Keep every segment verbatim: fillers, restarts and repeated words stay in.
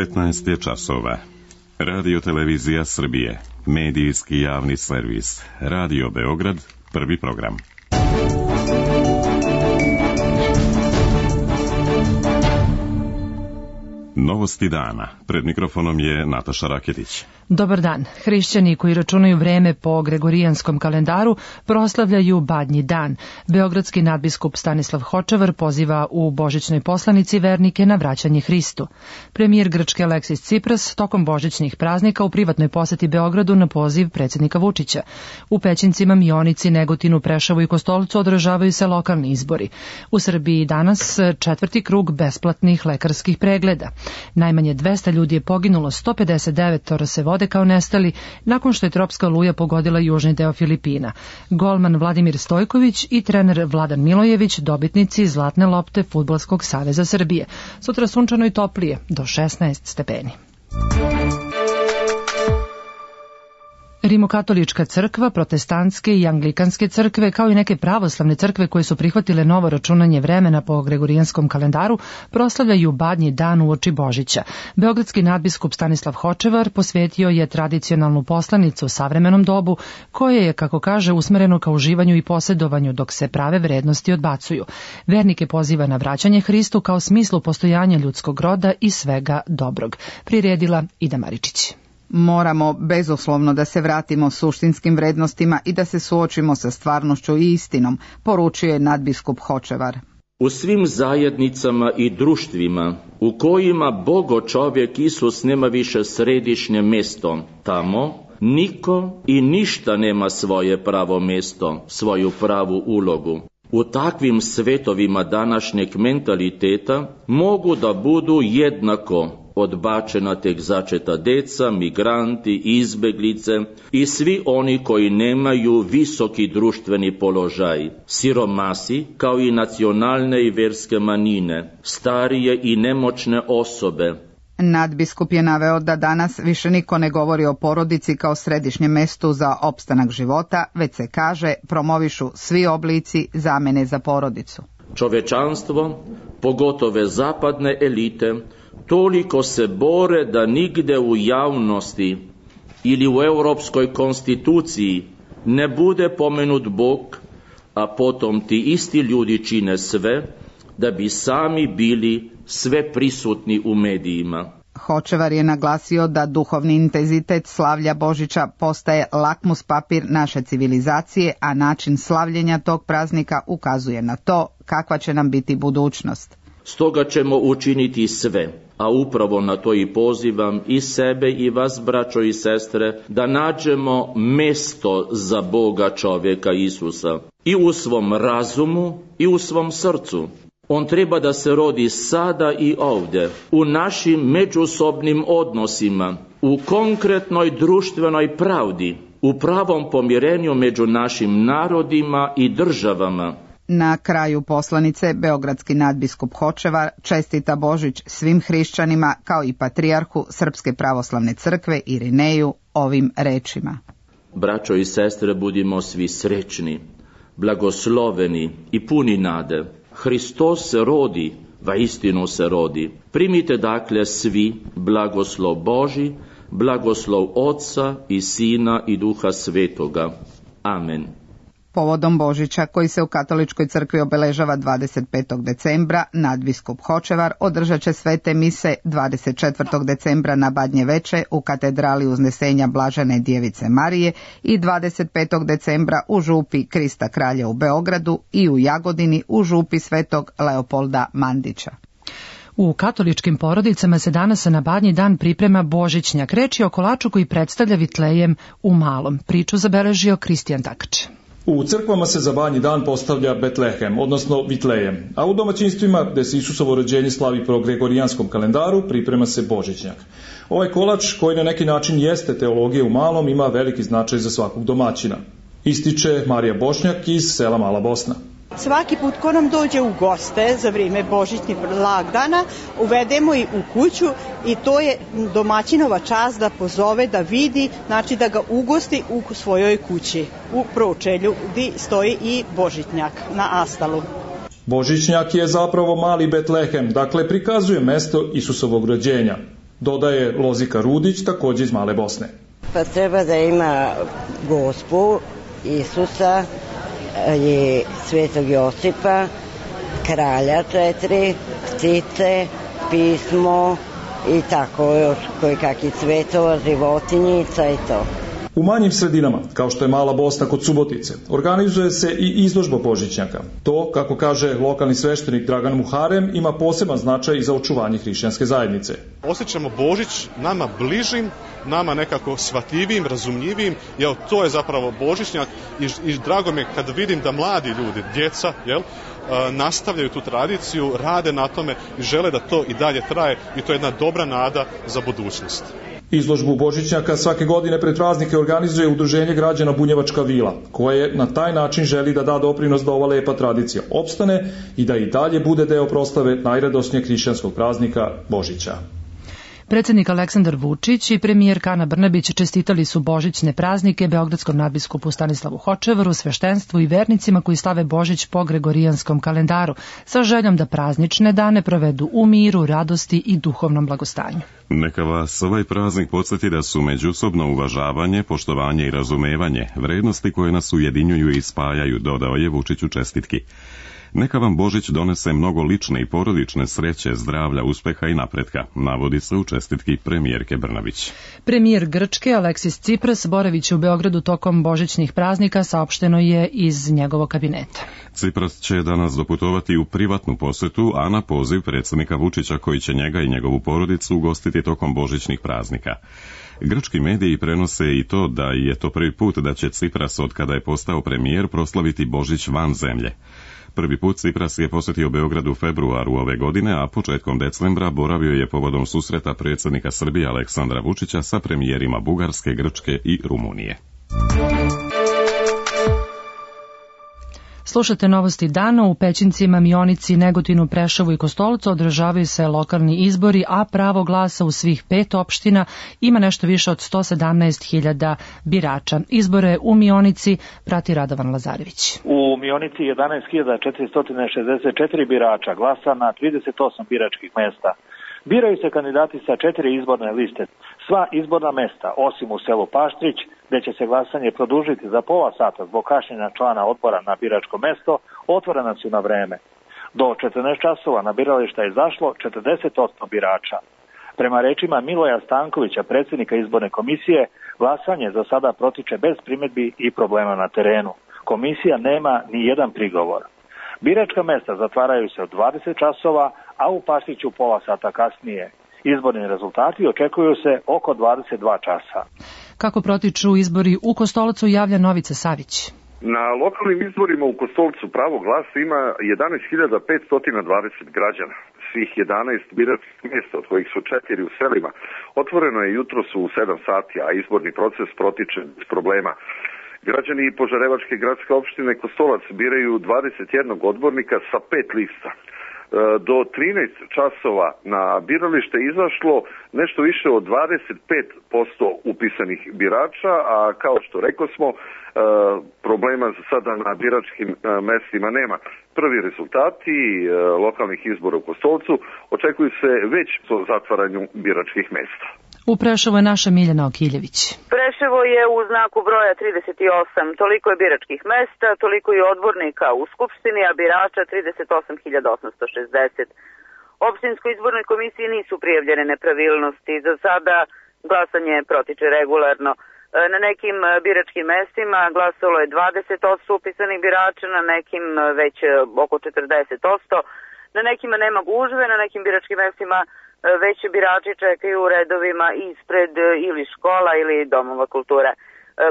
petnaest je časova. Radio Televizija Srbije, medijski javni servis, Radio Beograd, prvi program. Novosti dana. Pred mikrofonom je Nataša Raketić. Dobar dan. Hrišćani koji računaju vreme po Gregorijanskom kalendaru proslavljaju Badnji dan. Beogradski nadbiskup Stanislav Hočevar poziva u božićnoj poslanici vernike na vraćanje Hristu. Premijer Grčke Aleksis Cipras tokom božićnih praznika u privatnoj poseti Beogradu na poziv predsjednika Vučića. U Pećincima, Mionici, Negotinu, Preševu i Kostolcu održavaju se lokalni izbori. U Srbiji danas četvrti krug besplatnih lekarskih pregleda. Najmanje dvesta ljudi je poginulo, sto pedeset devet se vode kao nestali nakon što je tropska oluja pogodila južni deo Filipina. Golman Vladimir Stojković i trener Vladan Milojević dobitnici Zlatne lopte Fudbalskog saveza Srbije. Sutra sunčano i toplije, do šesnaest stepeni. Rimokatolička crkva, protestantske i anglikanske crkve, kao i neke pravoslavne crkve koje su prihvatile novo računanje vremena po Gregorijanskom kalendaru, proslavljaju Badnji dan uoči Božića. Beogradski nadbiskup Stanislav Hočevar posvetio je tradicionalnu poslanicu u savremenom dobu, koje je, kako kaže, usmereno ka uživanju i posjedovanju, dok se prave vrednosti odbacuju. Vernike poziva na vraćanje Hristu kao smislu postojanja ljudskog roda i svega dobrog. Priredila Ida Maričić. Moramo bezuslovno da se vratimo suštinskim vrednostima i da se suočimo sa stvarnošću i istinom, poručio je nadbiskup Hočevar. U svim zajednicama i društvima u kojima Bogo čovjek Isus nema više središnje mjesto, tamo niko i ništa nema svoje pravo mjesto, svoju pravu ulogu. U takvim svetovima današnjeg mentaliteta mogu da budu jednako odbačena tek začeta deca, migranti, izbeglice i svi oni koji nemaju visoki društveni položaj, siromasi kao i nacionalne i verske manjine, starije i nemoćne osobe. Nadbiskup je naveo da danas više niko ne govori o porodici kao središnjem mestu za opstanak života, već se kaže promovišu svi oblici zamene za porodicu. Čovečanstvo, pogotove zapadne elite, toliko se bore da nigde u javnosti ili u europskoj konstituciji ne bude pomenut Bog, a potom ti isti ljudi čine sve da bi sami bili sve prisutni u medijima. Hočevar je naglasio da duhovni intenzitet slavlja Božića postaje lakmus papir naše civilizacije, a način slavljenja tog praznika ukazuje na to kakva će nam biti budućnost. Stoga ćemo učiniti sve, a upravo na to i pozivam i sebe i vas, braćo i sestre, da nađemo mesto za Boga čovjeka Isusa i u svom razumu i u svom srcu. On treba da se rodi sada i ovdje, u našim međusobnim odnosima, u konkretnoj društvenoj pravdi, u pravom pomirenju među našim narodima i državama. Na kraju poslanice beogradski nadbiskup Hočevar čestita Božić svim hrišćanima kao i patrijarhu Srpske pravoslavne crkve Irineju ovim rečima. Braćo i sestre, budimo svi srećni, blagosloveni i puni nade. Hristos se rodi, vaistinu se rodi. Primite dakle svi blagoslov Božji, blagoslov Otca i Sina i Duha Svetoga. Amen. Povodom Božića, koji se u katoličkoj crkvi obeležava dvadeset petog decembra, nadbiskup Hočevar održat će svete mise dvadeset četvrtog decembra na Badnje veče u katedrali Uznesenja Blažene Djevice Marije i dvadeset petog decembra u župi Krista Kralja u Beogradu i u Jagodini u župi Svetog Leopolda Mandića. U katoličkim porodicama se danas na Badnji dan priprema božićnjak. Reč je o kolaču koji predstavlja Vitlejem u malom. Priču zabeležio Kristijan Takač. U crkvama se za Badnji dan postavlja Betlehem, odnosno Vitlejem, a u domaćinstvima, gde se Isusovo rođenje slavi po Gregorijanskom kalendaru, priprema se božićnjak. Ovaj kolač, koji na neki način jeste teologija u malom, ima veliki značaj za svakog domaćina. Ističe Marija Bošnjak iz sela Mala Bosna. Svaki put ko nam dođe u goste za vrijeme božićnih blagdana, uvedemo i u kuću i to je domaćinova čast da pozove, da vidi, znači da ga ugosti u svojoj kući, u pročelju gdje stoji i božićnjak na astalu. Božićnjak je zapravo mali Betlehem, dakle prikazuje mesto Isusovog rođenja. Dodaje Lozika Rudić, takođe iz Male Bosne. Pa treba da ima Gospu, Isusa i Svetog Josipa, kralja četiri, ptice, pismo i tako još koji kakvi cvetova, životinjica i to. U manjim sredinama, kao što je Mala Bosna kod Subotice, organizuje se i izložba božićnjaka. To, kako kaže lokalni sveštenik Dragan Muharem, ima poseban značaj i za očuvanje hrišćanske zajednice. Osjećamo Božić nama bližim, nama nekako shvatljivim, razumljivim, jel, to je zapravo božićnjak i, i drago mi je kad vidim da mladi ljudi, djeca, jel, nastavljaju tu tradiciju, rade na tome i žele da to i dalje traje i to je jedna dobra nada za budućnost. Izložbu božićnjaka svake godine pred praznike organizuje Udruženje građana Bunjevačka vila, koje na taj način želi da da doprinos da ova lepa tradicija opstane i da i dalje bude deo proslave najradosnijeg hrišćanskog praznika Božića. Predsednik Aleksandar Vučić i premijerka Ana Brnabić čestitali su božićne praznike beogradskom nadbiskupu Stanislavu Hočevaru, sveštenstvu i vernicima koji slave Božić po gregorijanskom kalendaru, sa željom da praznične dane provedu u miru, radosti i duhovnom blagostanju. Neka vas ovaj praznik podsjeti da su međusobno uvažavanje, poštovanje i razumevanje vrednosti koje nas ujedinjuju i spajaju, dodao je Vučić u čestitki. Neka vam Božić donese mnogo lične i porodične sreće, zdravlja, uspeha i napretka, navodi se u čestitki premijerke Brnabić. Premijer Grčke Aleksis Cipras boraviće u Beogradu tokom božićnih praznika, saopšteno je iz njegovog kabineta. Cipras će danas doputovati u privatnu posetu, a na poziv predsjednika Vučića koji će njega i njegovu porodicu ugostiti tokom božićnih praznika. Grčki mediji prenose i to da je to prvi put da će Cipras od kada je postao premijer proslaviti Božić van zemlje. Prvi put Cipras je posjetio Beograd u februaru ove godine, a početkom decembra boravio je povodom susreta predsjednika Srbije Aleksandra Vučića sa premijerima Bugarske, Grčke i Rumunije. Slušate novosti dana. U Pećincima, Mionici, Negotinu, Preševu i Kostolcu održavaju se lokalni izbori, a pravo glasa u svih pet opština ima nešto više od sto sedamnaest hiljada birača. Izbore u Mionici prati Radovan Lazarević. U Mionici jedanaest hiljada četiristo šezdeset četiri birača glasa na trideset osam biračkih mesta. Biraju se kandidati sa četiri izborne liste. Sva izborna mesta, osim u selu Paštrić, gde će se glasanje produžiti za pola sata zbog kašnjenja člana odbora na biračko mesto, otvorena su na vreme. Do četrnaest časova na birališta je izašlo četrdeset osam birača. Prema rečima Miloja Stankovića, predsjednika izborne komisije, glasanje za sada protiče bez primjedbi i problema na terenu. Komisija nema ni jedan prigovor. Biračka mesta zatvaraju se od dvadeset časova, a u Paštriću pola sata kasnije. Izborni rezultati očekuju se oko dvadeset dva časa. Kako protiču izbori u Kostolcu, javlja Novica Savić. Na lokalnim izborima u Kostolcu pravo glasa ima jedanaest hiljada petsto dvadeset građana. Svih jedanaest biračkih mjesta, od kojih su četiri u selima, otvoreno je jutros u sedam sati, a izborni proces protiče bez problema. Građani Požarevačke gradske opštine Kostolac biraju dvadeset jedan odbornika sa pet lista. Do trinaest časova na biralište izašlo nešto više od dvadeset pet posto upisanih birača, a kao što rekao smo, problema za sada na biračkim mestima nema. Prvi rezultati lokalnih izbora u Kostolcu očekuju se već po zatvaranju biračkih mesta. U Preševu je naša Miljana Okiljević. Preševo je u znaku broja trideset osam, toliko je biračkih mesta, toliko je odbornika u Skupštini, a birača trideset osam hiljada osamsto šezdeset. Opštinskoj izbornoj komisiji nisu prijavljene nepravilnosti, za sada glasanje protiče regularno. Na nekim biračkim mestima glasalo je dvadeset posto upisanih birača, na nekim već oko četrdeset posto. Na nekima nema gužve, na nekim biračkim mestima već birači čekaju u redovima ispred ili škola ili domova kulture.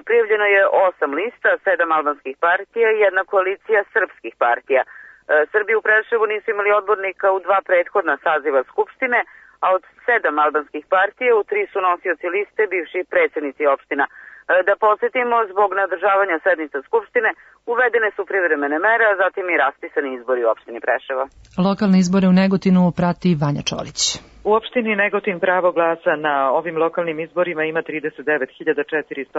Prijavljeno je osam lista, sedam albanskih partija i jedna koalicija srpskih partija. Srbi u Preševu nisu imali odbornika u dva prethodna saziva Skupštine, a od sedam albanskih partija u tri su nosioci liste bivši predsjednici opština. Da posjetimo, zbog nadržavanja sednica Skupštine uvedene su privremene mere, a zatim i raspisani izbori u opštini Preševa. Lokalne izbore u Negotinu prati Vanja Čolić. U opštini Negotin pravo glasa na ovim lokalnim izborima ima trideset devet hiljada četiristo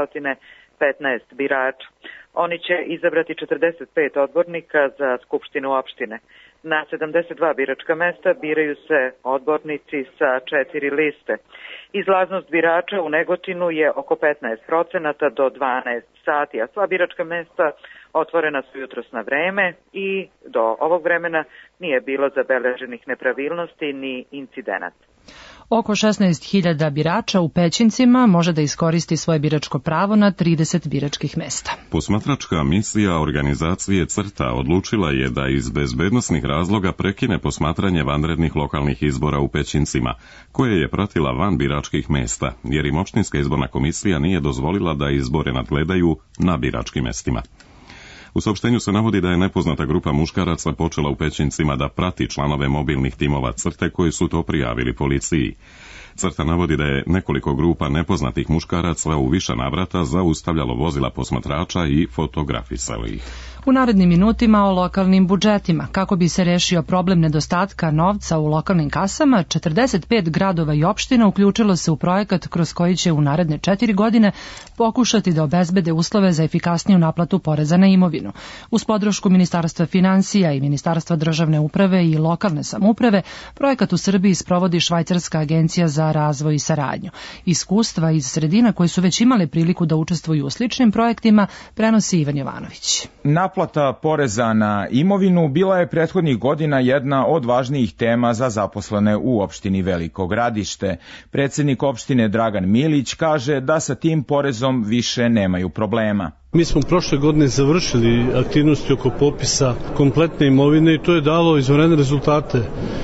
petnaest birača. Oni će izabrati četrdeset pet odbornika za Skupštinu opštine. Na sedamdeset dva biračka mesta biraju se odbornici sa četiri liste. Izlaznost birača u Negotinu je oko petnaest procenata do dvanaest sati, a sva biračka mesta otvorena su jutros na vreme i do ovog vremena nije bilo zabeleženih nepravilnosti ni incidenata. Oko šesnaest hiljada birača u Pećincima može da iskoristi svoje biračko pravo na trideset biračkih mesta. Posmatračka misija organizacije CRTA odlučila je da iz bezbednosnih razloga prekine posmatranje vanrednih lokalnih izbora u Pećincima, koje je pratila van biračkih mesta, jer im opštinska izborna komisija nije dozvolila da izbore nadgledaju na biračkim mestima. U saopštenju se navodi da je nepoznata grupa muškaraca počela u Pećincima da prati članove mobilnih timova CRTE koji su to prijavili policiji. CRTA navodi da je nekoliko grupa nepoznatih muškaraca u više navrata zaustavljalo vozila posmatrača i fotografisalo ih. U narednim minutima o lokalnim budžetima. Kako bi se rešio problem nedostatka novca u lokalnim kasama, četrdeset pet gradova i opština uključilo se u projekat kroz koji će u naredne četiri godine pokušati da obezbede uslove za efikasniju naplatu poreza na imovinu. Uz podršku Ministarstva finansija i Ministarstva državne uprave i lokalne samouprave, projekat u Srbiji sprovodi Švajcarska agencija za razvoj i saradnju. Iskustva iz sredina koje su već imale priliku da učestvuju u sličnim projektima prenosi Ivan Jovanović. Naplata poreza na imovinu bila je prethodnih godina jedna od važnijih tema za zaposlene u opštini Veliko Gradište. Predsednik opštine Dragan Milić kaže da sa tim porezom više nemaju problema. Mi smo prošle godine završili aktivnosti oko popisa kompletne imovine i to je dalo izvanredne rezultate.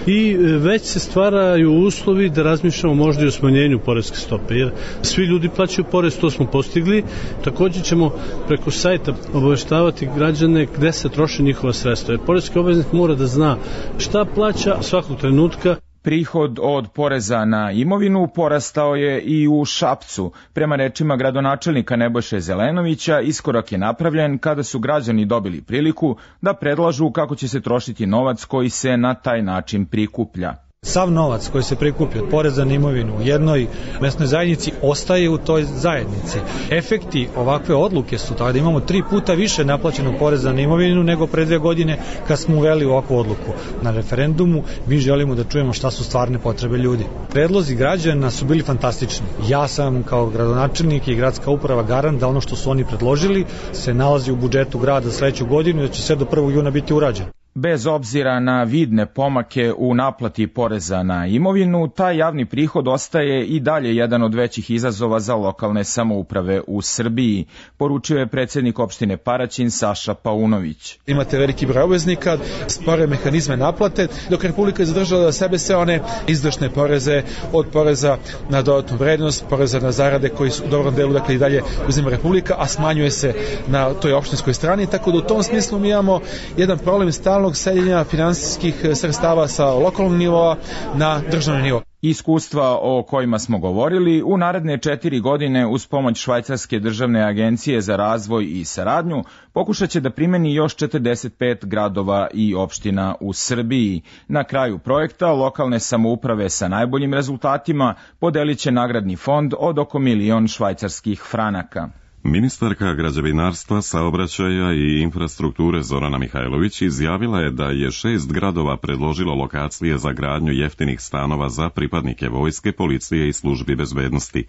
I već se stvaraju uslovi da razmišljamo možda i o smanjenju poreske stope, jer svi ljudi plaćaju porez, to smo postigli. Također ćemo preko sajta obaveštavati građane gde se troše njihova sredstva. Jer poreski obveznik mora da zna šta plaća svakog trenutka. Prihod od poreza na imovinu porastao je i u Šapcu. Prema rečima gradonačelnika Nebojše Zelenovića, iskorak je napravljen kada su građani dobili priliku da predlažu kako će se trošiti novac koji se na taj način prikuplja. Sav novac koji se prikupi od poreza na imovinu u jednoj mesnoj zajednici ostaje u toj zajednici. Efekti ovakve odluke su tako da imamo tri puta više naplaćenog poreza na imovinu nego pre dve godine kad smo uveli ovakvu odluku. Na referendumu mi želimo da čujemo šta su stvarne potrebe ljudi. Predlozi građana su bili fantastični. Ja sam kao gradonačelnik i gradska uprava garant da ono što su oni predložili se nalazi u budžetu grada sledeću godinu i da će sve do prvog juna biti urađeno. Bez obzira na vidne pomake u naplati poreza na imovinu, taj javni prihod ostaje i dalje jedan od većih izazova za lokalne samouprave u Srbiji, poručio je predsjednik opštine Paraćin Saša Paunović. Imate veliki broj obveznika, spore mehanizme naplate, dok Republika je zadržala da sebe sve one izdašne poreze, od poreza na dodatnu vrednost, poreza na zarade koji su u dobrom delu dakle i dalje uzima Republika, a smanjuje se na toj opštinskoj strani, tako da u tom smislu mi imamo jedan problem stalno seljenja finansijskih sredstava sa lokalnog nivoa na državni nivo. Iskustva o kojima smo govorili u naredne četiri godine uz pomoć Švajcarske državne agencije za razvoj i saradnju pokušat će da primeni još četrdeset pet gradova i opština u Srbiji. Na kraju projekta lokalne samouprave sa najboljim rezultatima podelit će nagradni fond od oko milion švajcarskih franaka. Ministarka građevinarstva, saobraćaja i infrastrukture Zorana Mihajlović izjavila je da je šest gradova predložilo lokacije za gradnju jeftinih stanova za pripadnike vojske, policije i službi bezbednosti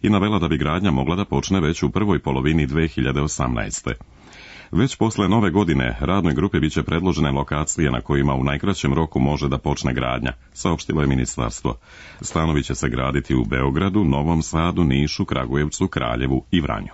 i navela da bi gradnja mogla da počne već u prvoj polovini dve hiljade osamnaeste. Već posle nove godine radnoj grupi biće predložene lokacije na kojima u najkraćem roku može da počne gradnja, saopštilo je ministarstvo. Stanovi će se graditi u Beogradu, Novom Sadu, Nišu, Kragujevcu, Kraljevu i Vranju.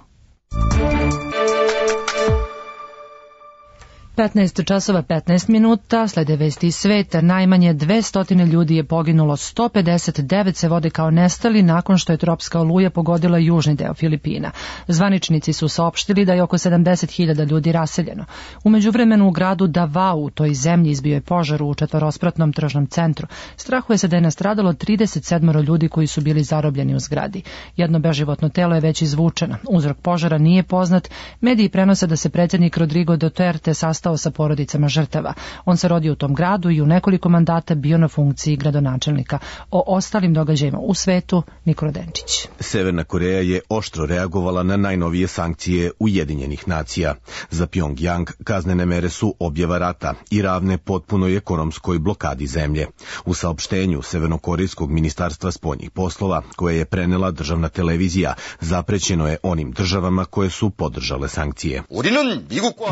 petnaest časova petnaest minuta, slede vesti iz sveta. Najmanje dvesta ljudi je poginulo, sto pedeset devet se vode kao nestali nakon što je tropska oluja pogodila južni deo Filipina. Zvaničnici su saopštili da je oko sedamdeset hiljada ljudi raseljeno. U međuvremenu u gradu Davao, u toj zemlji, izbio je požar u četvorospratnom tržnom centru. Strahuje se da je nastradalo trideset sedam ljudi koji su bili zarobljeni u zgradi. Jedno beživotno telo je već izvučeno. Uzrok požara nije poznat. Mediji prenose da se predsjednik Rodrigo Duterte sastao sastao sa porodicama žrtava. On se rodio u tom gradu i u nekoliko mandata bio na funkciji gradonačelnika. O ostalim događajima u svetu Nikola Denčić. Severna Koreja je oštro reagovala na najnovije sankcije Ujedinjenih nacija. Za Pyongyang kaznene mere su objava rata i ravne potpunoj ekonomskoj blokadi zemlje. U saopštenju Severnokorejskog ministarstva spoljnih poslova, koje je prenela državna televizija, zaprećeno je onim državama koje su podržale sankcije.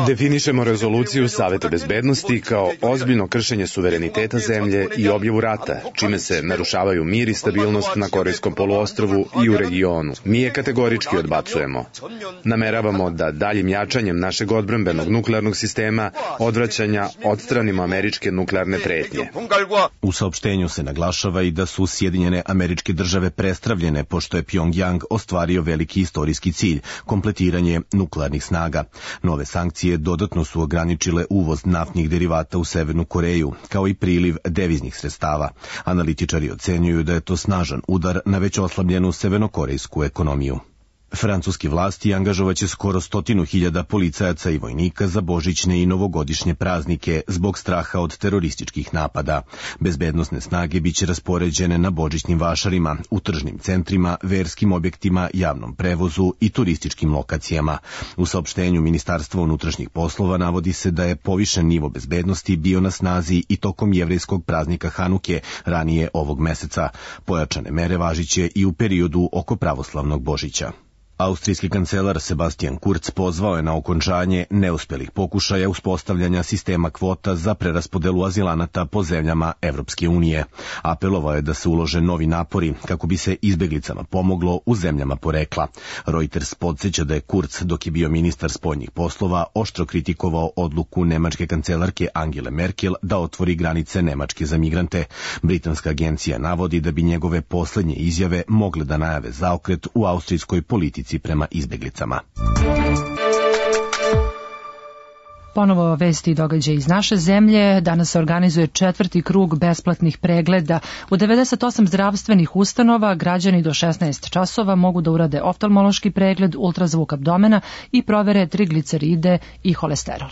Definišemo rezoluciju Saveta bezbednosti kao ozbiljno kršenje suvereniteta zemlje i objavu rata, čime se narušavaju mir i stabilnost na Korejskom poluostrvu i u regionu. Mi je kategorički odbacujemo. Nameravamo da daljim jačanjem našeg odbrambenog nuklearnog sistema odvraćanja odstranimo američke nuklearne pretnje. U saopštenju se naglašava i da su Sjedinjene Američke Države prestravljene pošto je Pyongyang ostvario veliki istorijski cilj, kompletiranje nuklearnih snaga. Nove sankcije dodatno su ograničile uvoz naftnih derivata u Severnu Koreju, kao i priliv deviznih sredstava. Analitičari ocenjuju da je to snažan udar na već oslabljenu severnokorejsku ekonomiju. Francuski vlasti angažovaće skoro stotinu hiljada policajaca i vojnika za božićne i novogodišnje praznike zbog straha od terorističkih napada. Bezbednosne snage biće raspoređene na božićnim vašarima, u tržnim centrima, verskim objektima, javnom prevozu i turističkim lokacijama. U saopštenju Ministarstva unutrašnjih poslova navodi se da je povišen nivo bezbednosti bio na snazi i tokom jevrejskog praznika Hanuke ranije ovog meseca. Pojačane mere važiće i u periodu oko pravoslavnog Božića. Austrijski kancelar Sebastian Kurz pozvao je na okončanje neuspelih pokušaja uspostavljanja sistema kvota za preraspodelu azilanata po zemljama Evropske unije. Apelovao je da se ulože novi napori kako bi se izbeglicama pomoglo u zemljama porekla. Reuters podsjeća da je Kurz, dok je bio ministar spoljnih poslova, oštro kritikovao odluku nemačke kancelarke Angele Merkel da otvori granice Nemačke za migrante. Britanska agencija navodi da bi njegove poslednje izjave mogle da najave zaokret u austrijskoj politici prema izbeglicama. Ponovo vesti i događaj iz naše zemlje. Danas se organizuje četvrti krug besplatnih pregleda. U devedeset osam zdravstvenih ustanova građani do šesnaest časova mogu da urade oftalmološki pregled, ultrazvuk abdomena i provere trigliceride i holesterol.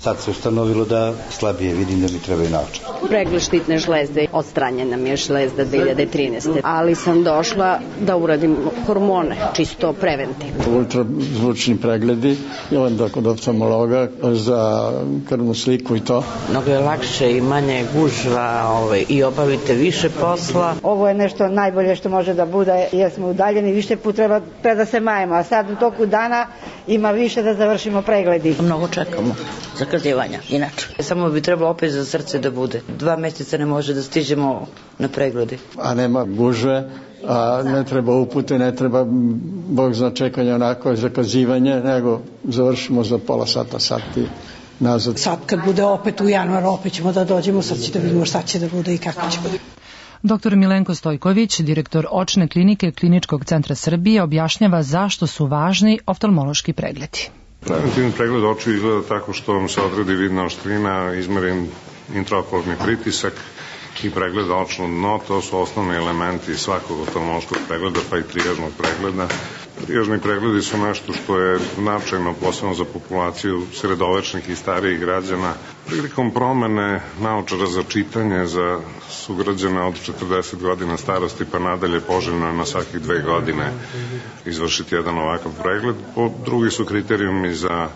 Sad se ustanovilo da slabije vidim, da mi trebaju naočare. Pregled štitne žlezde, odstranjena mi je žlezda dve hiljade trinaeste. Ali sam došla da uradim hormone, čisto preventivno. Ultrazvučni pregledi i onda kod oftalmologa za krvnu sliku i to. Mnogo je lakše i manje gužva ovaj, i obavite više posla. Ovo je nešto najbolje što može da bude jer smo udaljeni, više put treba pre da se majemo, a sad u toku dana ima više da završimo pregledi. Mnogo čekamo zakazivanja, inače. Samo bi trebalo opet za srce da bude. Dva mjeseca ne može da stižemo na pregledi. A nema gužve, a ne treba upute, ne treba bog zna čekanja onako zakazivanje, nego završimo za pola sata, sati nazad. Sad kad bude opet u januaru, opet ćemo da dođemo, sad će da vidimo šta će da bude i kako će bude. Doktor Milenko Stojković, direktor očne klinike Kliničkog centra Srbije, objašnjava zašto su važni oftalmološki pregledi. Preventivni pregled očiju izgleda tako što vam se odredi vidna oštrina, izmeren intraokularni pritisak i pregled očno dno. To su osnovni elementi svakog oftalmološkog pregleda, pa i trijažnog pregleda. Trijažni pregledi su nešto što je značajno, posebno za populaciju sredovečnih i starijih građana. Prilikom promene naočara za čitanje za sugrađane od četrdeset godina starosti pa nadalje poželjno je na svakih dve godine izvršiti jedan ovakav pregled. Drugi su kriterijumi za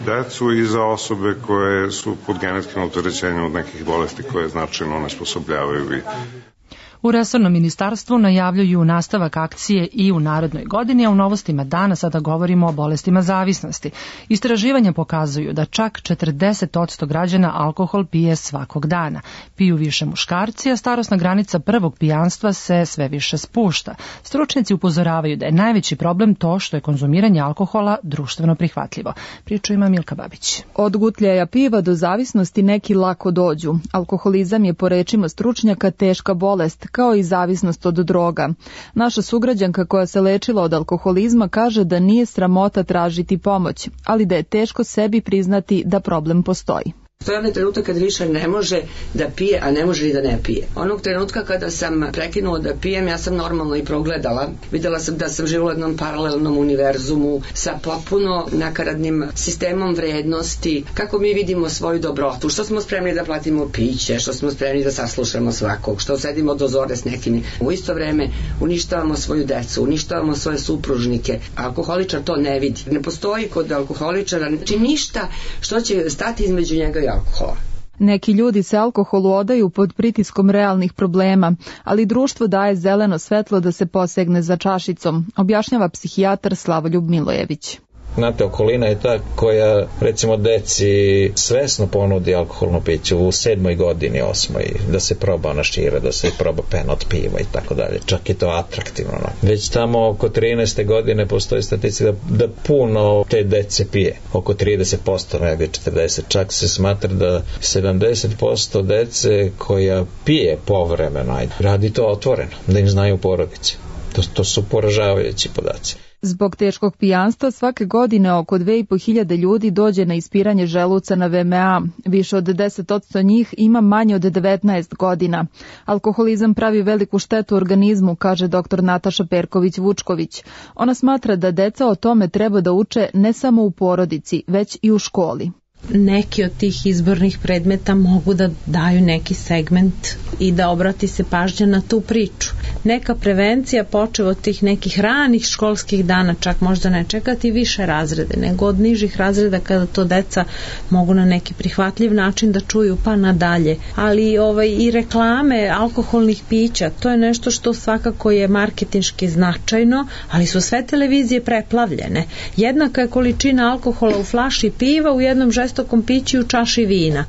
decu i za osobe koje su pod genetskim opterećenjem od nekih bolesti koje značajno onesposobljavaju vid. U resornom ministarstvu najavljuju nastavak akcije i u narednoj godini, a u novostima dana sada govorimo o bolestima zavisnosti. Istraživanja pokazuju da čak četrdeset posto građana alkohol pije svakog dana. Piju više muškarci, a starosna granica prvog pijanstva se sve više spušta. Stručnjaci upozoravaju da je najveći problem to što je konzumiranje alkohola društveno prihvatljivo. Priču ima Milka Babić. Od gutljaja piva do zavisnosti neki lako dođu. Alkoholizam je po rečima stručnjaka teška bolest, kao i zavisnost od droga. Naša sugrađanka koja se lečila od alkoholizma kaže da nije sramota tražiti pomoć, ali da je teško sebi priznati da problem postoji. To je onaj trenutak kad više ne može da pije, a ne može ni da ne pije. Onog trenutka kada sam prekinula da pijem, ja sam normalno i progledala. Videla sam da sam živjela u jednom paralelnom univerzumu sa potpuno nakaradnim sistemom vrednosti, kako mi vidimo svoju dobrotu, što smo spremni da platimo piće, što smo spremni da saslušamo svakog, što sedimo do zore s nekim. U isto vreme uništavamo svoju decu, uništavamo svoje supružnike. Alkoholičar to ne vidi. Ne postoji kod alkoholičara, znači ništa što će stati između njega i alkohola. Neki ljudi se alkoholu odaju pod pritiskom realnih problema, ali društvo daje zeleno svetlo da se posegne za čašicom, objašnjava psihijatar Slavoljub Milojević. Znate, okolina je ta koja, recimo, deci svesno ponudi alkoholno piće u sedmoj godini, osmoj, da se proba ona šira, da se proba pena od piva i tako dalje. Čak je to atraktivno. Već tamo oko trinaeste godine postoji statistika da, da puno te dece pije. Oko trideset posto, nego četrdeset. Čak se smatra da sedamdeset posto dece koja pije povremeno, radi to otvoreno, da im znaju porodice. To, to su poražavajući podaci. Zbog teškog pijanstva svake godine oko dve i po hiljade ljudi dođe na ispiranje želuca na V M A. Više od deset posto njih ima manje od devetnaest godina. Alkoholizam pravi veliku štetu organizmu, kaže doktor Nataša Perković-Vučković. Ona smatra da deca o tome treba da uče ne samo u porodici, već i u školi. Neki od tih izbornih predmeta mogu da daju neki segment i da obrati se pažnja na tu priču. Neka prevencija počeva od tih nekih ranih školskih dana, čak možda ne čekati više razrede, nego od nižih razreda kada to deca mogu na neki prihvatljiv način da čuju pa nadalje. Ali ovaj, i reklame alkoholnih pića, to je nešto što svakako je marketinški značajno, ali su sve televizije preplavljene. Jednaka je količina alkohola u flaši piva, u jednom žestokom piću i u čaši vina.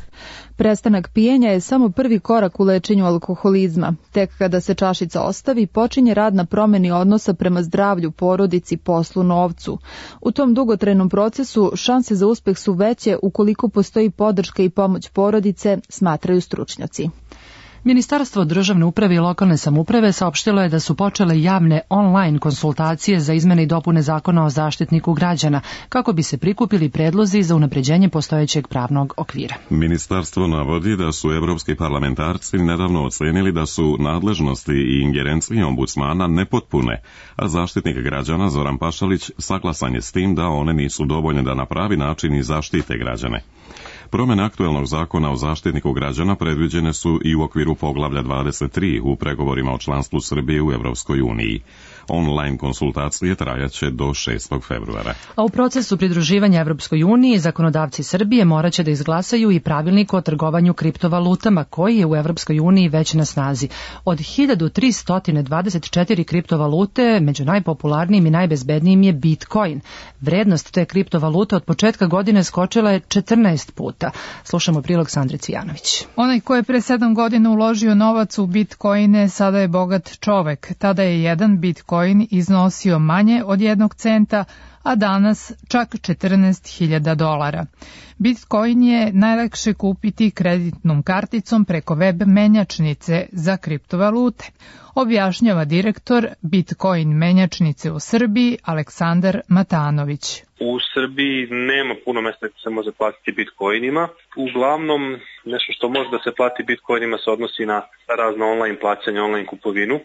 Prestanak pijenja je samo prvi korak u lečenju alkoholizma. Tek kada se čašica ostavi, počinje rad na promeni odnosa prema zdravlju, porodici, poslu, novcu. U tom dugotrajnom procesu šanse za uspeh su veće ukoliko postoji podrška i pomoć porodice, smatraju stručnjaci. Ministarstvo državne uprave i lokalne samouprave saopštilo je da su počele javne online konsultacije za izmene i dopune zakona o zaštitniku građana, kako bi se prikupili predlozi za unapređenje postojećeg pravnog okvira. Ministarstvo navodi da su evropski parlamentarci nedavno ocenili da su nadležnosti i ingerencije ombudsmana nepotpune, a zaštitnik građana Zoran Pašalić saglasan je s tim da one nisu dovoljne da na pravi način i zaštite građane. Promjene aktuelnog zakona o zaštitniku građana predviđene su i u okviru poglavlja dvadeset tri u pregovorima o članstvu Srbije u Evropskoj uniji. Online konsultacije trajaće do šestog februara. A u procesu pridruživanja Evropskoj uniji zakonodavci Srbije moraće da izglasaju i pravilnik o trgovanju kriptovalutama koji je u Evropskoj uniji već na snazi. Od hiljadu tristo dvadeset četiri kriptovalute među najpopularnijim i najbezbednijim je Bitcoin. Vrednost te kriptovalute od početka godine skočila je četrnaest puta. Slušamo prilog Sandre Cvijanović. Onaj ko je pre sedam godina uložio novac u Bitcoine sada je bogat čovek. Tada je jedan Bitcoin iznosio manje od jednog centa, a danas čak četrnaest hiljada dolara. Bitcoin je najlakše kupiti kreditnom karticom preko web menjačnice za kriptovalute, objašnjava direktor Bitcoin menjačnice u Srbiji Aleksandar Matanović. U Srbiji nema puno mesta gde se može platiti bitcoinima. Uglavnom, nešto što može da se plati bitcoinima se odnosi na razna online plaćanja, online kupovinu.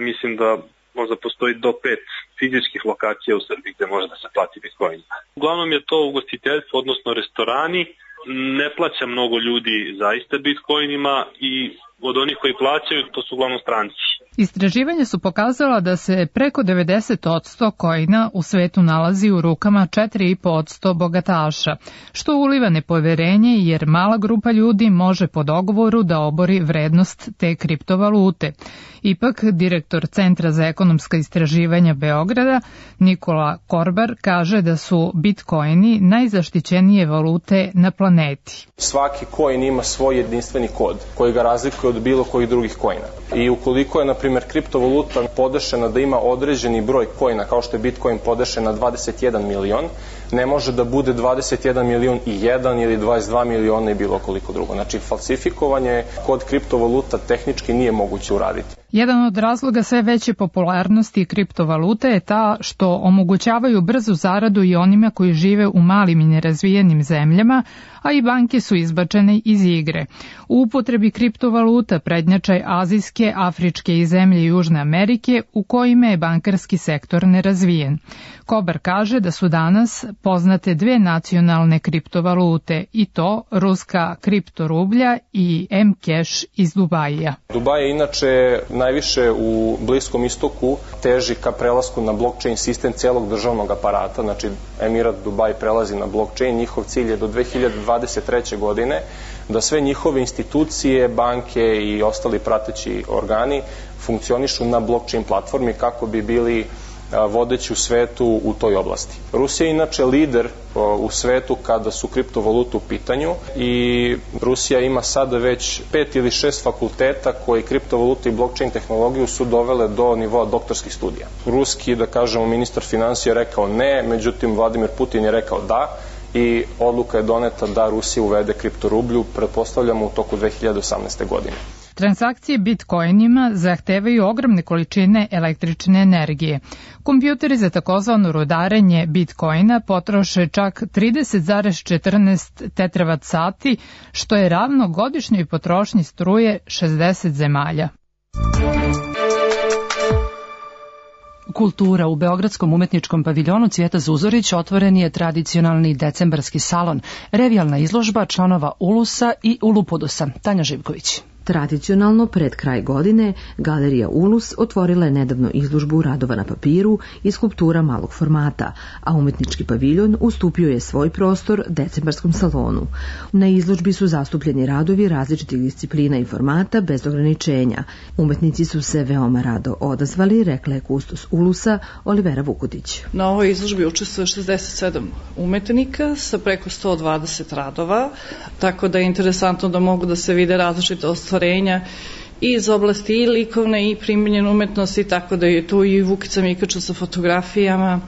Mislim da možda postoji do pet fizičkih lokacija u Srbiji gde može da se plati bitcoinima. Uglavnom je to ugostiteljstvo, odnosno restorani. Ne plaća mnogo ljudi zaista bitcoinima i od onih koji plaćaju to su uglavnom stranci. Istraživanja su pokazala da se preko devedeset posto coina u svetu nalazi u rukama četiri i po posto bogataša, što uliva nepoverenje jer mala grupa ljudi može po dogovoru da obori vrednost te kriptovalute. Ipak, direktor Centra za ekonomska istraživanja Beograda, Nikola Korbar, kaže da su bitcoini najzaštićenije valute na planeti. Svaki coin ima svoj jedinstveni kod koji ga razlikuje od bilo kojih drugih coina. I ukoliko je, na primjer, kriptovaluta podešena da ima određeni broj coina, kao što je Bitcoin podešen na dvadeset jedan milion, ne može da bude dvadeset jedan milion i jedan ili dvadeset dva miliona i bilo koliko drugo. Znači, falsifikovanje kod kriptovaluta tehnički nije moguće uraditi. Jedan od razloga sve veće popularnosti kriptovalute je ta što omogućavaju brzu zaradu i onima koji žive u malim i nerazvijenim zemljama, a i banke su izbačene iz igre. U upotrebi kriptovaluta prednjačaj azijske, afričke i zemlje Južne Amerike u kojima je bankarski sektor nerazvijen. Kobar kaže da su danas poznate dve nacionalne kriptovalute i to ruska kriptorublja i M-Cash iz Dubaija. Dubaj je inače najviše u Bliskom istoku teži ka prelasku na blockchain sistem celog državnog aparata, znači Emirat Dubaj prelazi na blockchain, njihov cilj je do dve hiljade dvadeset treće. godine da sve njihove institucije, banke i ostali prateći organi funkcionišu na blockchain platformi kako bi bili vodeći u svetu u toj oblasti. Rusija je inače lider u svetu kada su kriptovalute u pitanju i Rusija ima sada već pet ili šest fakulteta koji kriptovalute i blockchain tehnologiju su dovele do nivoa doktorskih studija. Ruski, da kažemo, ministar finansija je rekao ne, međutim Vladimir Putin je rekao da i odluka je doneta da Rusija uvede kriptorublju, pretpostavljamo u toku dve hiljade osamnaeste. godine. Transakcije bitcoinima zahtevaju ogromne količine električne energije. Kompjuteri za takozvano rudarenje bitcoina potroše čak trideset zarez četrnaest tetravat sati, što je ravno godišnjoj potrošnji struje šezdeset zemalja. Kultura. U Beogradskom umetničkom paviljonu Cvijeta Zuzorić otvoren je tradicionalni decembarski salon, revijalna izložba članova Ulusa i Ulupudusa. Tanja Živković. Tradicionalno, pred kraj godine, Galerija Ulus otvorila je nedavno izložbu radova na papiru i skulptura malog formata, a umetnički paviljon ustupio je svoj prostor decembarskom salonu. Na izložbi su zastupljeni radovi različitih disciplina i formata bez ograničenja. Umetnici su se veoma rado odazvali, rekla je kustos Ulusa Olivera Vukutić. Na ovoj izložbi učestvuje šezdeset sedam umetnika sa preko sto dvadeset radova, tako da je interesantno da mogu da se vide različite ostvarenja iz oblasti i likovne i primenjene umetnosti, tako da je tu i Vukica Mikača sa fotografijama,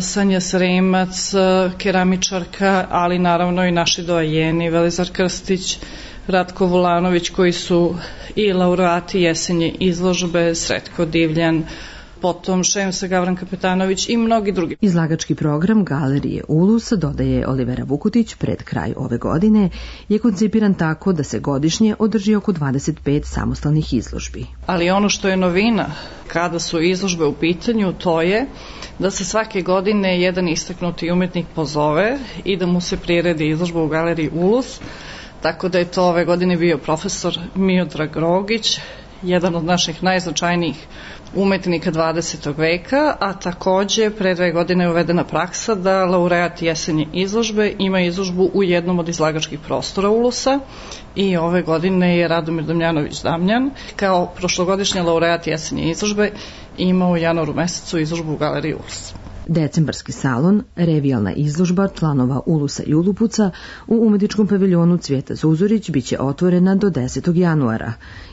Sanja Sremac, keramičarka, ali naravno i naši doajeni, Velizar Krstić, Ratko Vulanović, koji su i laureati jesenje izložbe, Sretko Divljan, potom Šemsa Gavran Kapetanović i mnogi drugi. Izlagački program Galerije Ulus, dodaje Olivera Vukutić, pred kraj ove godine je koncipiran tako da se godišnje održi oko dvadeset pet samostalnih izložbi. Ali ono što je novina kada su izložbe u pitanju, to je da se svake godine jedan istaknuti umetnik pozove i da mu se priredi izložba u Galeriji Ulus, tako da je to ove godine bio profesor Miodrag Rogić, jedan od naših najznačajnijih umetnika dvadesetog veka, a takođe pre dve godine je uvedena praksa da laureat jesenje izložbe ima izložbu u jednom od izlagačkih prostora Ulusa i ove godine je Radomir Damjanović Damjan kao prošlogodišnja laureat jesenje izložbe imao u januaru mesecu izložbu u Galeriji Ulus. Decembarski salon, revijalna izložba članova Ulusa i Ulupuca u umetničkom paviljonu Cvijeta Zuzorić biće otvorena do desetog januara.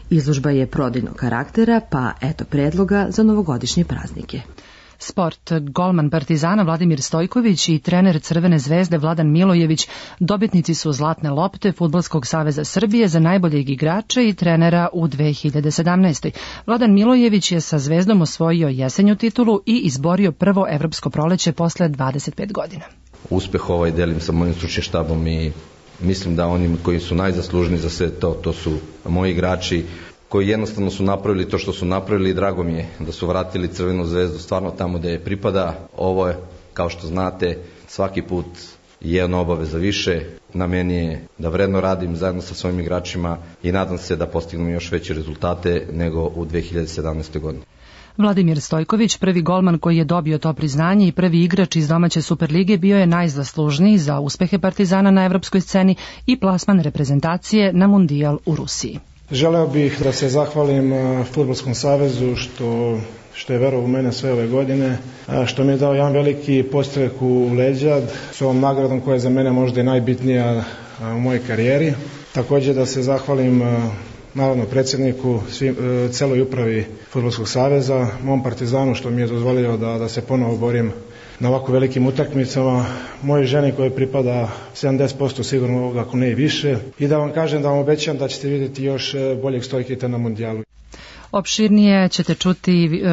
Izložba je prodajnog karaktera, pa eto predloga za novogodišnje praznike. Sport. Golman Partizana Vladimir Stojković i trener Crvene zvezde Vladan Milojević dobitnici su Zlatne lopte Fudbalskog saveza Srbije za najboljeg igrača i trenera u dve hiljade sedamnaestoj. Vladan Milojević je sa Zvezdom osvojio jesenju titulu i izborio prvo evropsko proleće posle dvadeset pet godina. Uspeh ovaj delim sa mojim stručnim štabom i mislim da oni koji su najzaslužniji za sve to, to su moji igrači koji jednostavno su napravili to što su napravili i drago mi je da su vratili Crvenu zvezdu stvarno tamo gde je pripada. Ovo je, kao što znate, svaki put jedna obaveza više. Na meni je da vredno radim zajedno sa svojim igračima i nadam se da postignemo još veće rezultate nego u dve hiljade sedamnaestoj. godini. Vladimir Stojković, prvi golman koji je dobio to priznanje i prvi igrač iz domaće Superlige, bio je najzaslužniji za uspehe Partizana na evropskoj sceni i plasman reprezentacije na Mundijal u Rusiji. Želeo bih da se zahvalim Fudbalskom savezu što, što je verovao u mene sve ove godine, što mi je dao jedan veliki podstrek u leđa s ovom nagradom koja je za mene možda i najbitnija u mojoj karijeri. Također da se zahvalim naravno predsjedniku, svim, celoj upravi Fudbalskog saveza, mom Partizanu što mi je dozvolio da, da se ponovo borim na ovako velikim utakmicama, moje ženi koje pripada sedamdeset posto sigurno, ako ne i više, i da vam kažem, da vam obećam da ćete vidjeti još boljeg Stojkita na mundijalu. Opširnije ćete čuti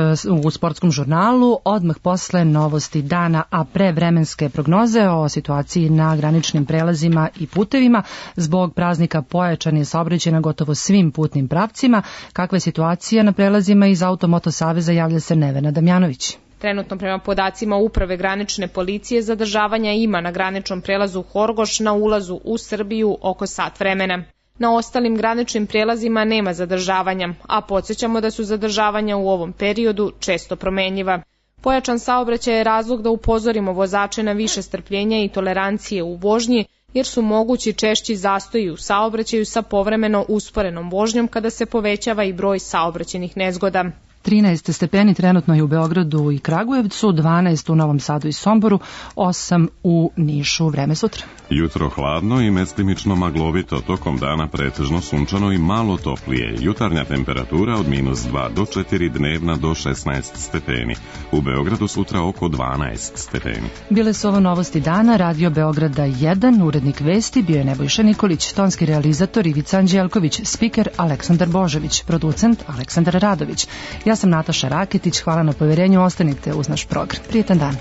u sportskom žurnalu odmah posle novosti dana, a pre vremenske prognoze o situaciji na graničnim prelazima i putevima. Zbog praznika pojačan je saobraćaj na gotovo svim putnim pravcima. Kakva je situacija na prelazima iz Automoto saveza, javlja se Nevena Damjanović. Trenutno prema podacima Uprave granične policije zadržavanja ima na graničnom prelazu Horgoš na ulazu u Srbiju oko sat vremena. Na ostalim graničnim prijelazima nema zadržavanja, a podsjećamo da su zadržavanja u ovom periodu često promenjiva. Pojačan saobraćaj je razlog da upozorimo vozače na više strpljenja i tolerancije u vožnji, jer su mogući češći zastoji u saobraćaju sa povremeno usporenom vožnjom kada se povećava i broj saobraćajnih nezgoda. trinaest stepeni trenutno je u Beogradu i Kragujevcu, dvanaest u Novom Sadu i Somboru, osam u Nišu. Vreme sutra. Jutro hladno i mestimično maglovito, tokom dana pretežno sunčano i malo toplije. Jutarnja temperatura od minus dva do četiri, dnevna do šesnaest stepeni. U Beogradu sutra oko dvanaest stepeni. Bile su ovo novosti dana, Radio Beograda jedan, urednik vesti bio je Nebojša Nikolić, tonski realizator Ivica Anđelković, spiker Aleksandar Božović, producent Aleksandar Radović. Ja sam Nataša Raketić, hvala na poverenju, ostanite uz naš program. Prijetan dan.